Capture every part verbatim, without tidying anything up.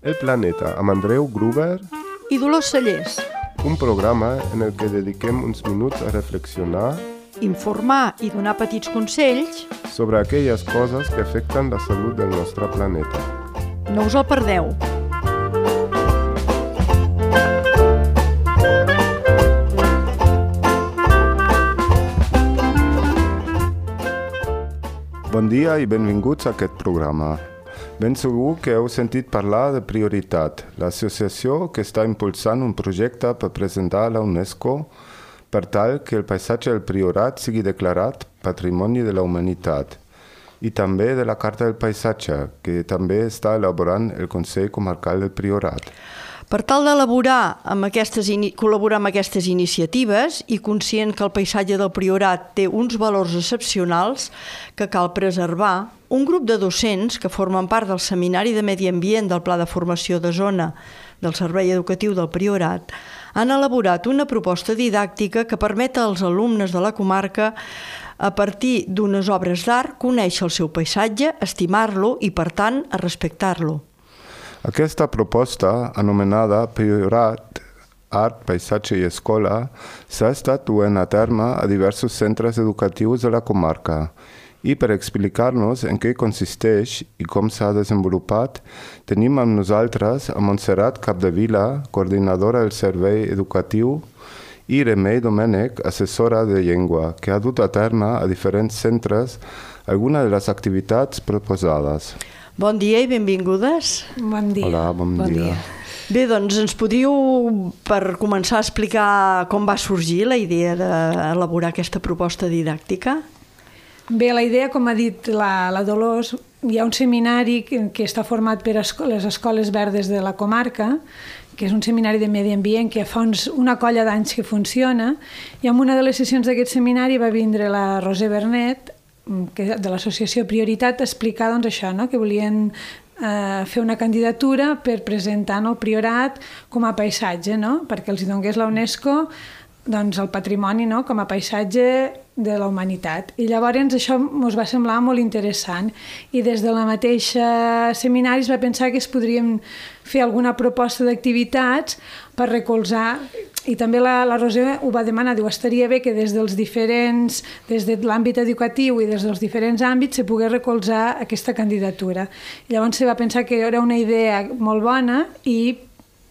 El Planeta, amb Andreu Gruber i Dolors Cellers. Un programa en el que dediquem uns minuts a reflexionar, informar i donar petits consells sobre aquelles coses que afecten la salut del nostre planeta. No us el perdeu. Bon dia i benvinguts a aquest programa. Ben segur que heu sentit parlar de Prioritat, l'associació que està impulsant un projecte per presentar a la UNESCO per tal que el paisatge del Priorat sigui declarat Patrimoni de la Humanitat, i també de la Carta del Paisatge, que també està elaborant el Consell Comarcal del Priorat. Per tal d'elaborar amb aquestes, col·laborar amb aquestes iniciatives i conscient que el paisatge del Priorat té uns valors excepcionals que cal preservar, un grup de docents que formen part del Seminari de Medi Ambient del Pla de Formació de Zona del Servei Educatiu del Priorat han elaborat una proposta didàctica que permet als alumnes de la comarca, a partir d'unes obres d'art, conèixer el seu paisatge, estimar-lo i, per tant, a respectar-lo. Aquesta proposta, anomenada Priorat, Art, Paisatge i Escola, s'ha estat duent a terme a diversos centres educatius de la comarca. I per explicar-nos en què consisteix i com s'ha desenvolupat, tenim amb nosaltres a Montserrat Capdevila, coordinadora del Servei Educatiu, i Remei Domènech, assessora de llengua, que ha dut a terme a diferents centres algunes de les activitats proposades. Bon dia i benvingudes. Bon dia. Hola, bon, bon dia. dia. Bé, doncs ens podríeu, per començar a explicar com va sorgir la idea d'elaborar aquesta proposta didàctica? Bé, la idea, com ha dit la, la Dolors, hi ha un seminari que, que està format per esco les escoles verdes de la comarca, que és un seminari de medi ambient que fa uns, una colla d'anys que funciona, i en una de les sessions d'aquest seminari va vindre la Roser Bernet, que de l'associació Prioritat, a explicar doncs, això, no? que volien eh, fer una candidatura per presentar el Priorat com a paisatge, no? perquè els hi donés la UNESCO doncs, el patrimoni, no? com a paisatge de la humanitat. I llavors això ens va semblar molt interessant i des de la mateixa seminari es va pensar que es podrien fer alguna proposta d'activitats per recolzar, i també la, la Roser ho va demanar, diu, estaria bé que des dels diferents, des de l'àmbit educatiu i des dels diferents àmbits se pogués recolzar aquesta candidatura. I llavors se va pensar que era una idea molt bona i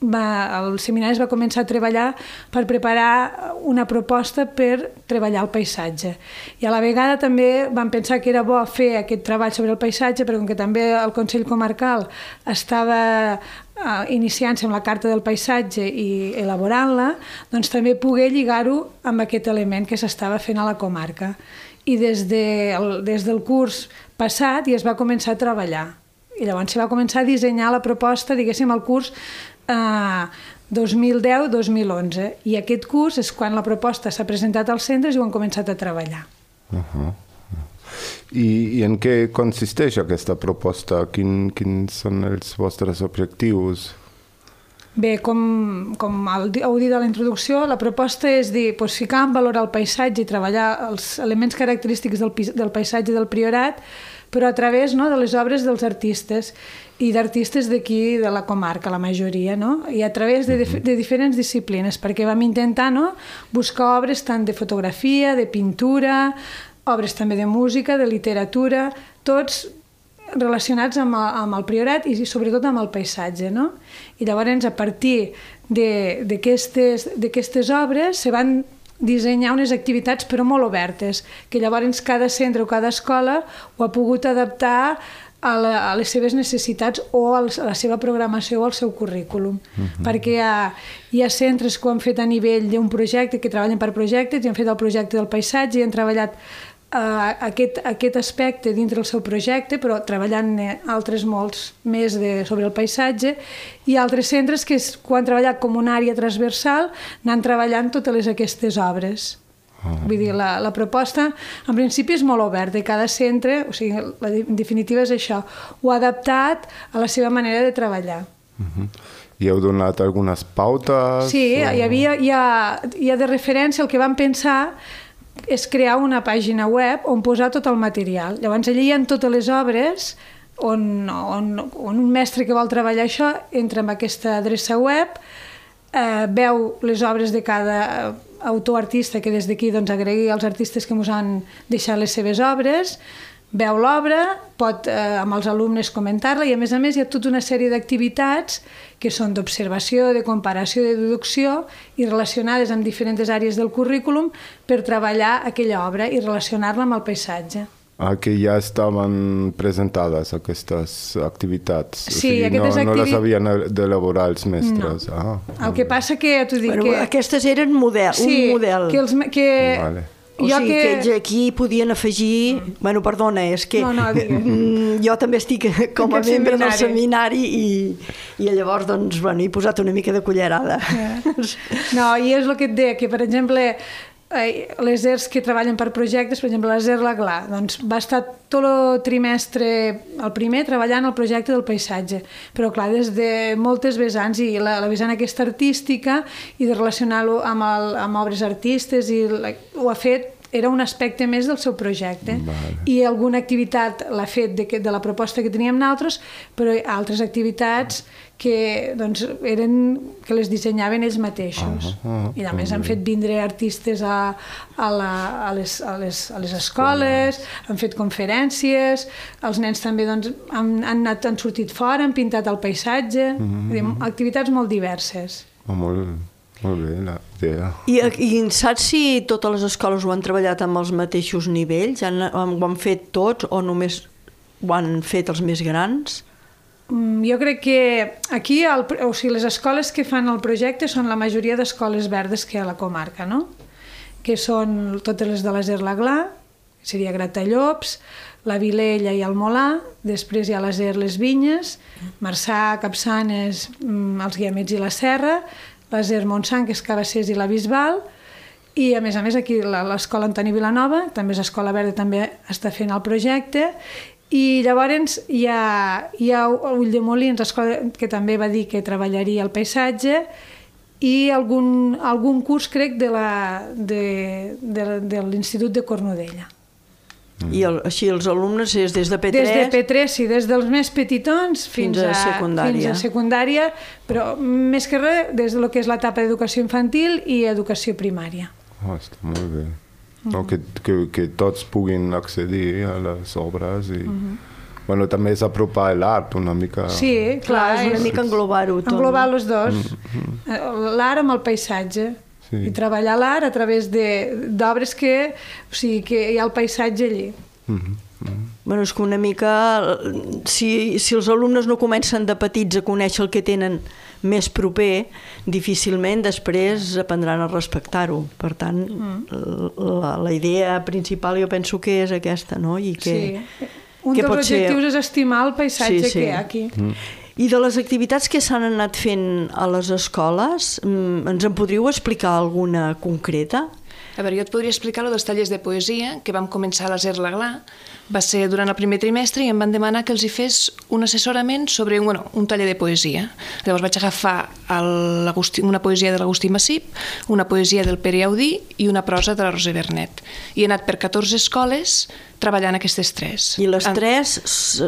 Va, el seminari es va començar a treballar per preparar una proposta per treballar el paisatge. I a la vegada també vam pensar que era bo fer aquest treball sobre el paisatge, perquè com que també el Consell Comarcal estava uh, iniciant-se amb la Carta del Paisatge i elaborant-la, doncs també poder lligar-ho amb aquest element que s'estava fent a la comarca. I des, de, el, des del curs passat ja es va començar a treballar. I llavors se va començar a dissenyar la proposta, diguéssim, al curs Uh, dos mil deu dos mil onze, i aquest curs és quan la proposta s'ha presentat als centres i ho han començat a treballar. Uh-huh. I, I en què consisteix aquesta proposta? Quin, quins són els vostres objectius? Bé, com, com heu dit a la introducció, la proposta és dir, doncs, ficar en valor el paisatge i treballar els elements característics del, del paisatge del Priorat, però a través, no, de les obres dels artistes i d'artistes d'aquí, de la comarca, la majoria, no? I a través de, de diferents disciplines, perquè vam intentar, no, buscar obres tant de fotografia, de pintura, obres també de música, de literatura, tots relacionats amb el, amb el Priorat i sobretot amb el paisatge, no? I llavors, a partir d'aquestes obres se van dissenyar unes activitats però molt obertes, que llavors cada centre o cada escola ho ha pogut adaptar a, la, a les seves necessitats o a la seva programació o al seu currículum. Uh-huh. Perquè hi ha, hi ha centres que ho han fet a nivell d'un projecte, que treballen per projectes, i han fet el projecte del paisatge i han treballat uh, aquest, aquest aspecte dintre el seu projecte, però treballant altres molts més de, sobre el paisatge, i altres centres que, es, que han treballat com una àrea transversal, anant treballant totes les, aquestes obres. Uh-huh. Vull dir, la, la proposta en principi és molt oberta i cada centre, o sigui, la, en definitiva és això, ho ha adaptat a la seva manera de treballar. Uh-huh. I heu donat algunes pautes? Sí, o... hi havia, hi ha, hi ha de referència, el que vam pensar és crear una pàgina web on posar tot el material. Llavors allà hi ha totes les obres on, on, on un mestre que vol treballar això entra en aquesta adreça web, eh, veu les obres de cada autor-artista, que des d'aquí doncs, agregui els artistes que ens han deixat les seves obres, veu l'obra, pot eh, amb els alumnes comentar-la i a més a més hi ha tota una sèrie d'activitats que són d'observació, de comparació, de deducció i relacionades amb diferents àrees del currículum per treballar aquella obra i relacionar-la amb el paisatge. Ah, que ja estaven presentades aquestes activitats. Sí, o sigui, aquestes no, no les activi... havien d'elaborar els mestres. No. Ah, el que passa que, t'ho dic, bueno, que... aquestes eren model, sí, un model. que els... Que... Vale. O jo sigui, que... que ells aquí podien afegir... Mm. Bueno, perdona, és que no, no, jo també estic com a membre del seminari i, i llavors, doncs, bueno, he posat una mica de cullerada. Yeah. No, i és el que et deia, que, per exemple, les E R S que treballen per projectes, per exemple, la Z E R Laglà, doncs va estar tot el trimestre, el primer, treballant el projecte del paisatge, però clar, des de moltes vessants, i la, la vessant aquesta artística i de relacionar-lo amb, el, amb obres artistes, i la, ho ha fet, era un aspecte més del seu projecte. Vale. I alguna activitat l'ha fet de, de la proposta que teníem nosaltres, però altres activitats que, doncs, eren, que les dissenyaven ells mateixos. Uh -huh, uh -huh, I a més han fet vindre artistes a, a, la, a, les, a, les, a les escoles, han fet conferències, els nens també doncs, han, han, anat, han sortit fora, han pintat el paisatge, uh -huh. dir, activitats molt diverses. Oh, molt, molt bé, la idea. I, I saps si totes les escoles ho han treballat amb els mateixos nivells? Han, ho han fet tots o només ho han fet els més grans? Jo crec que aquí, el, o sigui, les escoles que fan el projecte són la majoria d'escoles verdes que hi ha a la comarca, no? Que són totes les de la Z E R Laglà, que seria Gratallops, la Vilella i el Molar, després hi ha la Z E R Les Vinyes, Marçà, Capçanes, els Guiamets i la Serra, la Z E R Montsant, que és Cabassers i la Bisbal, i a més a més aquí l'escola Antoni Vilanova, també és escola verda, també està fent el projecte, i llavors hi ha, hi ha Ulldemolins, escola que també va dir que treballaria el paisatge, i algun, algun curs, crec, de la, de, de, de l'Institut de Cornudella. I el, així els alumnes és des de P tres? Des de P tres, sí, des dels més petitons fins, fins, a, a secundària. fins a secundària, però més que res des del que és l'etapa d'educació infantil i educació primària. Oh, està molt bé. No, que, que, que tots puguin accedir a les obres i... Uh-huh. Bueno, també és apropar l'art una mica... Sí, clar, és una és mica englobar-ho tot. Englobar els dos, uh-huh. L'art amb el paisatge, sí. I treballar l'art a través d'obres que, o sigui, que hi ha el paisatge allí. Uh-huh. Uh-huh. Bueno, és que una mica, si, si els alumnes no comencen de petits a conèixer el que tenen més proper, difícilment després aprendran a respectar-ho. Per tant, mm. la, la idea principal jo penso que és aquesta, no? I que, sí. Un dels objectius ser... és estimar el paisatge sí, sí. que hi ha aquí. Mm. I de les activitats que s'han anat fent a les escoles, ens en podríeu explicar alguna concreta? A veure, jo et podria explicar lo dels tallers de poesia que vam començar a la Z E R Laglà. Va ser durant el primer trimestre i em van demanar que els hi fes un assessorament sobre un, bueno, un taller de poesia. Llavors vaig agafar el, una poesia de l'Agustí Massip, una poesia del Pere Audí i una prosa de la Roser Bernet. I he anat per catorze escoles treballant aquestes tres. I les tres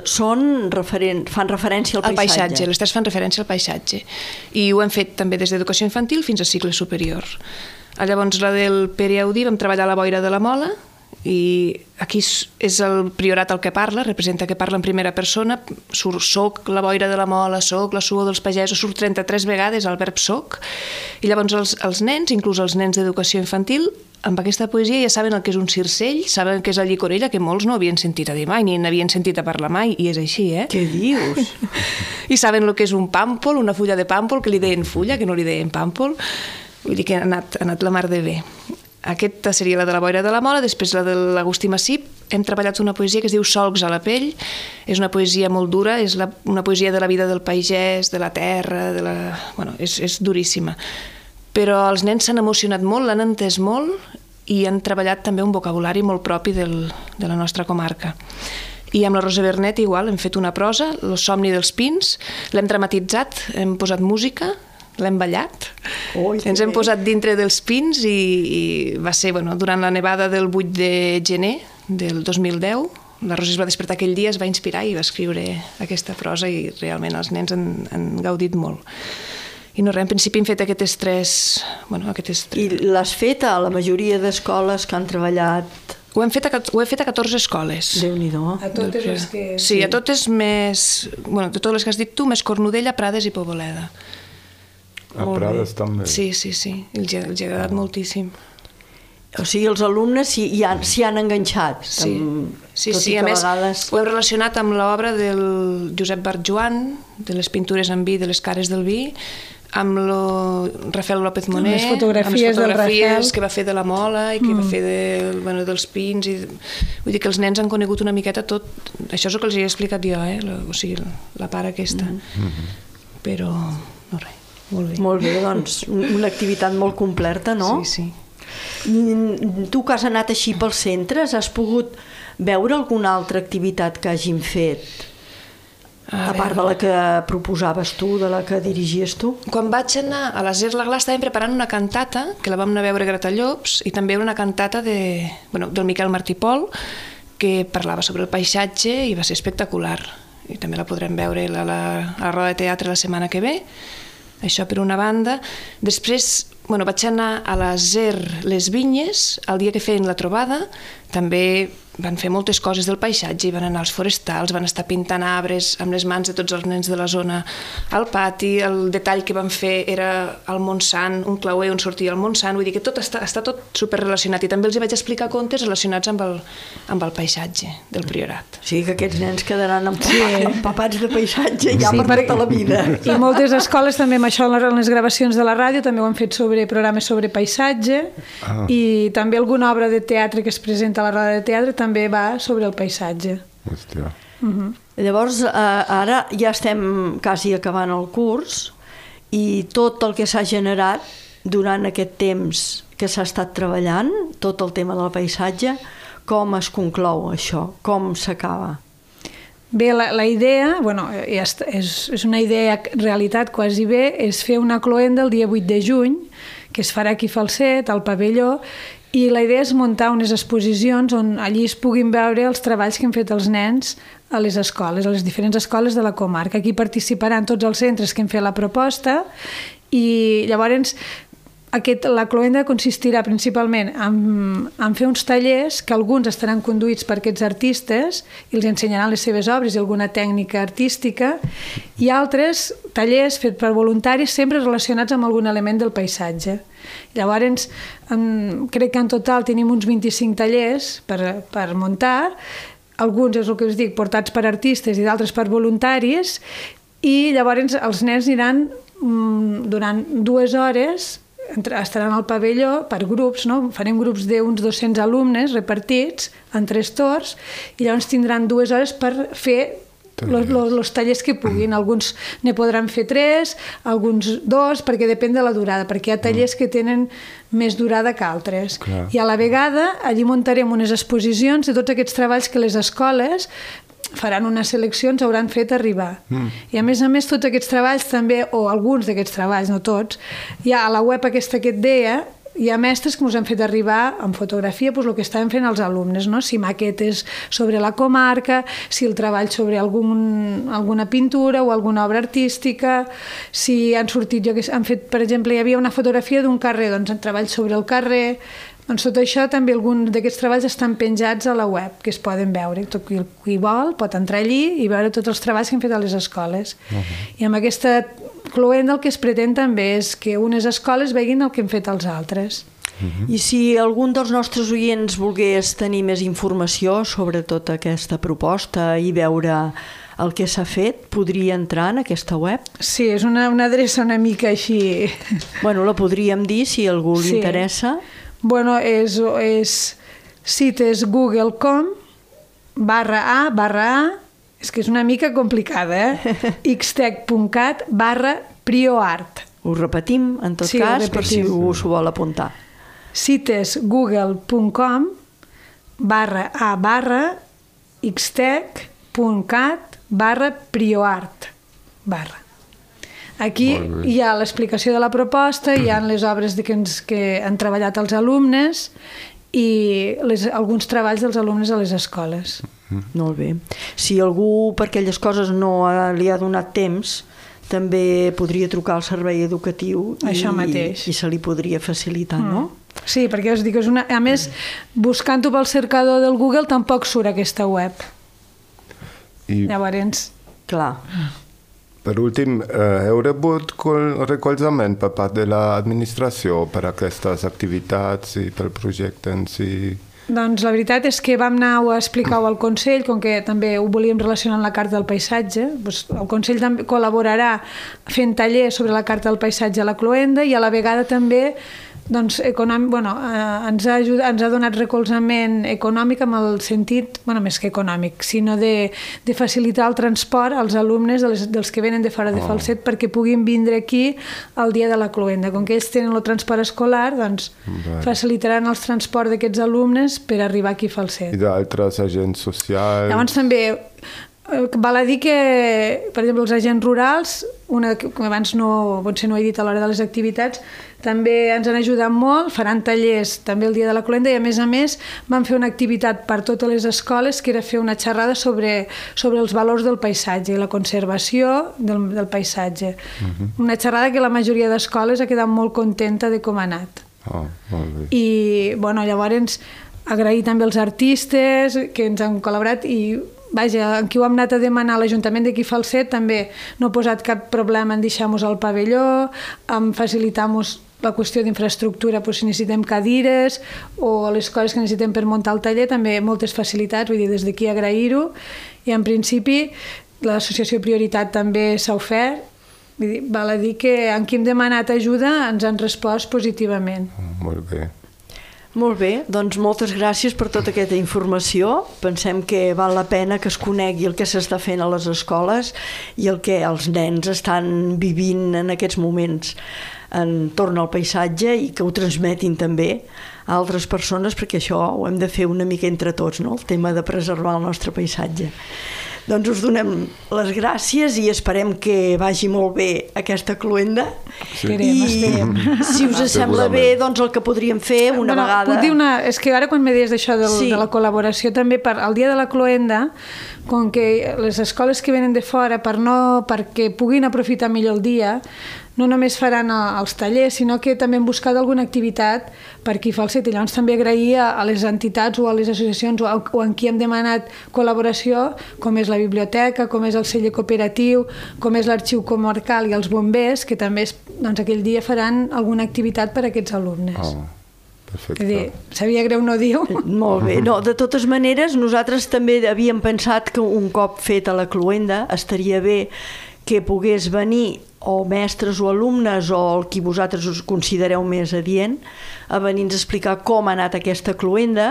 són referen fan referència al paisatge? Al paisatge, les tres fan referència al paisatge. I ho hem fet també des d'educació infantil fins a cicle superior. Llavors, la del Pere Audí vam treballar a la boira de la Mola, i aquí és el priorat el que parla, representa que parla en primera persona, surt soc la boira de la Mola, soc la suor dels pagesos, surt trenta-tres vegades el verb soc, i llavors els, els nens, inclús els nens d'educació infantil, amb aquesta poesia ja saben el que és un circell, saben què és la llicorella, que molts no havien sentit a dir mai, ni n'havien sentit a parlar mai, i és així, eh? Què dius? I saben el que és un pàmpol, una fulla de pàmpol, que li deien fulla, que no li deien pàmpol, vull dir que ha anat, ha anat la mar de bé. Aquesta seria la de la boira de la Mola, després la de l'Agustí Massip. Hem treballat una poesia que es diu Solcs a la pell. És una poesia molt dura, és la, una poesia de la vida del pagès, de la terra, de la... Bueno, és, és duríssima. Però els nens s'han emocionat molt, l'han entès molt i han treballat també un vocabulari molt propi del, de la nostra comarca. I amb la Rosa Bernet igual, hem fet una prosa, El somni dels pins, l'hem dramatitzat, hem posat música, l'hem ballat, oh, ens hem posat dintre dels pins i, i va ser bueno, durant la nevada del vuit de gener del dos mil deu, la Rosa es va despertar aquell dia, es va inspirar i va escriure aquesta prosa i realment els nens han, han gaudit molt. I no res, en principi hem fet aquestes tres... Bueno, aquestes tres... I l'has fet a la majoria d'escoles que han treballat? Ho hem fet a, ho he fet a catorze escoles. Déu-n'hi-do. A totes les que... Sí, a totes més... Bueno, de totes les que has dit tu, més Cornudella, Prades i Poboleda. A Prades també. Sí, sí, sí. Els ha, els ha agradat moltíssim. O sigui, els alumnes s'hi han, han enganxat. Sí, amb, sí, sí. A més, vegades... ho hem relacionat amb l'obra del Josep Barjuan, de les pintures en vi, de les cares del vi, amb lo Rafael López Moner, amb les fotografies, amb les fotografies del que va fer de la Mola i que mm. va fer de, bueno, dels pins. I, vull dir que els nens han conegut una miqueta tot. Això és el que els he explicat jo, eh? La, o sigui, la part aquesta. Mm. Però, no res, molt bé. Molt bé, doncs, una activitat molt completa, no? Sí, sí. Tu que has anat així pels centres, has pogut veure alguna altra activitat que hagin fet? A, a part de la que proposaves tu, de la que dirigies tu? Quan vaig anar a la Zer la Gla estàvem preparant una cantata, que la vam anar a veure a Gratallops, i també una cantata de, bueno, del Miquel Martí Pol, que parlava sobre el paisatge i va ser espectacular. I també la podrem veure a la, la, a la roda de teatre la setmana que ve. Això per una banda. Després, bueno, vaig anar a la Zer Les Vinyes, el dia que feien la trobada, també van fer moltes coses del paisatge, van anar als forestals, van estar pintant arbres amb les mans de tots els nens de la zona al pati, el detall que van fer era el Montsant, un clauer on sortia el Montsant, vull dir que tot està, està tot superrelacionat i també els hi vaig explicar contes relacionats amb el, amb el paisatge del Priorat. O sigui que aquests nens quedaran empapats, sí. empapats de paisatge ja sí, per tota la vida. I moltes escoles també amb això, en les gravacions de la ràdio també ho han fet sobre programes sobre paisatge ah. i també alguna obra de teatre que es presenta a la roda de teatre també va sobre el paisatge. Hòstia. Uh-huh. Llavors, eh, ara ja estem quasi acabant el curs i tot el que s'ha generat durant aquest temps que s'ha estat treballant, tot el tema del paisatge, com es conclou això? Com s'acaba? Bé, la, la idea, bueno, és, és una idea realitat quasi bé, és fer una cloenda el dia vuit de juny, que es farà aquí a Falset, al pavelló, i la idea és muntar unes exposicions on allí es puguin veure els treballs que han fet els nens a les escoles, a les diferents escoles de la comarca. Aquí participaran tots els centres que han fet la proposta i llavors aquest, la cloenda consistirà principalment en, en fer uns tallers que alguns estaran conduïts per aquests artistes i els ensenyaran les seves obres i alguna tècnica artística i altres tallers fets per voluntaris sempre relacionats amb algun element del paisatge. Llavors, en, crec que en total tenim uns vint-i-cinc tallers per, per muntar, alguns, és el que us dic, portats per artistes i d'altres per voluntaris, i llavors els nens aniran mm, durant dues hores, estaran al pavelló per grups, no? Farem grups d'uns dos-cents alumnes repartits en tres torns, i llavors tindran dues hores per fer Los, los, los tallers que puguin. Alguns ne podran fer tres, alguns dos, perquè depèn de la durada, perquè hi ha tallers que tenen més durada que altres. Clar. I a la vegada allí muntarem unes exposicions de tots aquests treballs que les escoles faran unes seleccions, hauran fet arribar. Mm. I a més a més tots aquests treballs també, o alguns d'aquests treballs, no tots, hi ha a la web aquesta que et deia, hi ha mestres que ens han fet arribar en fotografia doncs, el que estaven fent els alumnes, no? Si maquetes sobre la comarca, si el treball sobre algun, alguna pintura o alguna obra artística, si han sortit, jo que han fet, per exemple, hi havia una fotografia d'un carrer, doncs en treball sobre el carrer. Doncs tot això també alguns d'aquests treballs estan penjats a la web, que es poden veure. Tot qui, qui vol pot entrar allí i veure tots els treballs que han fet a les escoles. Uh-huh. I amb aquesta cloenda el que es pretén també és que unes escoles veguin el que han fet els altres. Uh-huh. I si algun dels nostres oients volgués tenir més informació sobre tota aquesta proposta i veure el que s'ha fet, podria entrar en aquesta web? Sí, és una, una adreça una mica així... Bueno, la podríem dir si a algú li sí. interessa. Bueno, és, és cites google punt com barra a barra a, és que és una mica complicada, eh? xtec punt cat barra prioart. Ho repetim, en tot sí, cas, per si us ho vol apuntar. cites google punt com barra a barra xtec punt cat barra prioart barra. Aquí hi ha l'explicació de la proposta, hi ha les obres de que, ens, que han treballat els alumnes i les, alguns treballs dels alumnes a les escoles. Molt bé. Si algú per aquelles coses no ha, li ha donat temps, també podria trucar al servei educatiu i, Això mateix. i se li podria facilitar, mm. no? Sí, perquè us dic, és una... a més, buscant-ho pel cercador del Google tampoc surt aquesta web. I Llavors... Clar. per últim, eh, heu rebut col- recolzament per part de l'administració per aquestes activitats i pel projecte en si? Doncs la veritat és que vam anar a explicar-ho al Consell, com que també ho volíem relacionar amb la Carta del Paisatge. Doncs el Consell també col·laborarà fent tallers sobre la Carta del Paisatge a la Cloenda i a la vegada també doncs, econòmic, bueno, eh, ens, ha ajudat, ens ha donat recolzament econòmic amb el sentit, bueno, més que econòmic, sinó de, de facilitar el transport als alumnes de les, dels que venen de fora de Oh. Falset perquè puguin vindre aquí el dia de la Cloenda. Com que ells tenen el transport escolar, doncs Vale. facilitaran el transport d'aquests alumnes per arribar aquí a I Falset. d'altres agents socials? Llavors també eh, val a dir que, per exemple, els agents rurals, una que abans no, potser no he dit a l'hora de les activitats, també ens han ajudat molt, faran tallers també el dia de la Cloenda i a més a més van fer una activitat per totes les escoles que era fer una xerrada sobre, sobre els valors del paisatge i la conservació del, del paisatge. Uh-huh. Una xerrada que la majoria d'escoles ha quedat molt contenta de com ha anat. Oh, molt bé. I bueno, llavors agrair també als artistes que ens han col·laborat i vaja, en qui ho hem anat a demanar a l'Ajuntament d'aquí Falset també no ha posat cap problema en deixar-nos al pavelló, en facilitar-nos la qüestió d'infraestructura, doncs, si necessitem cadires o les coses que necessitem per muntar el taller, també moltes facilitats, vull dir, des d'aquí agrair-ho. I en principi l'associació Prioritat també s'ha ofert. Vull dir, val a dir que en qui hem demanat ajuda ens han respost positivament. Oh, molt bé. Molt bé, doncs moltes gràcies per tota aquesta informació. Pensem que val la pena que es conegui el que s'està fent a les escoles i el que els nens estan vivint en aquests moments entorn al paisatge i que ho transmetin també a altres persones, perquè això ho hem de fer una mica entre tots, no? El tema de preservar el nostre paisatge. Doncs us donem les gràcies i esperem que vagi molt bé aquesta cloenda. Sí. Esperem, esperem. I si us sembla bé, doncs el que podríem fer una bueno, vegada... Puc dir una... És que ara quan me deies d'això del, Sí. de la col·laboració també per al dia de la cloenda, com que les escoles que venen de fora per no, perquè puguin aprofitar millor el dia, no només faran els tallers, sinó que també han buscat alguna activitat per aquí a Falset. I llavors també agrair a, a les entitats o a les associacions o, a, o en qui hem demanat col·laboració, com és la biblioteca, com és el celler cooperatiu, com és l'arxiu comarcal i els bombers, que també doncs, aquell dia faran alguna activitat per a aquests alumnes. Oh, perfecte. És a dir, sabia greu no dir-ho. Molt bé. No, de totes maneres, nosaltres també havíem pensat que un cop feta la cloenda estaria bé que pogués venir o mestres o alumnes o el qui vosaltres us considereu més adient a venir-nos a explicar com ha anat aquesta cloenda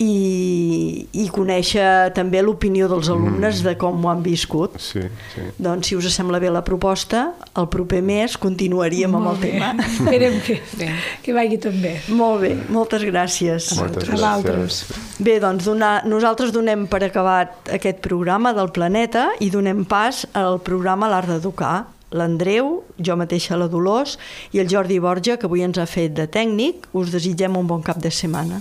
i, i conèixer també l'opinió dels alumnes de com ho han viscut. Sí, sí. Doncs si us sembla bé la proposta, el proper mes continuaríem amb el Molt bé. tema. Esperem que, Bé. que vagi tot bé. Molt bé, moltes gràcies. Moltes A vosaltres. gràcies. Bé, doncs donar, nosaltres donem per acabat aquest programa del Planeta i donem pas al programa L'Art d'Educar. L'Andreu, jo mateixa la Dolors i el Jordi Borja, que avui ens ha fet de tècnic. Us desitgem un bon cap de setmana.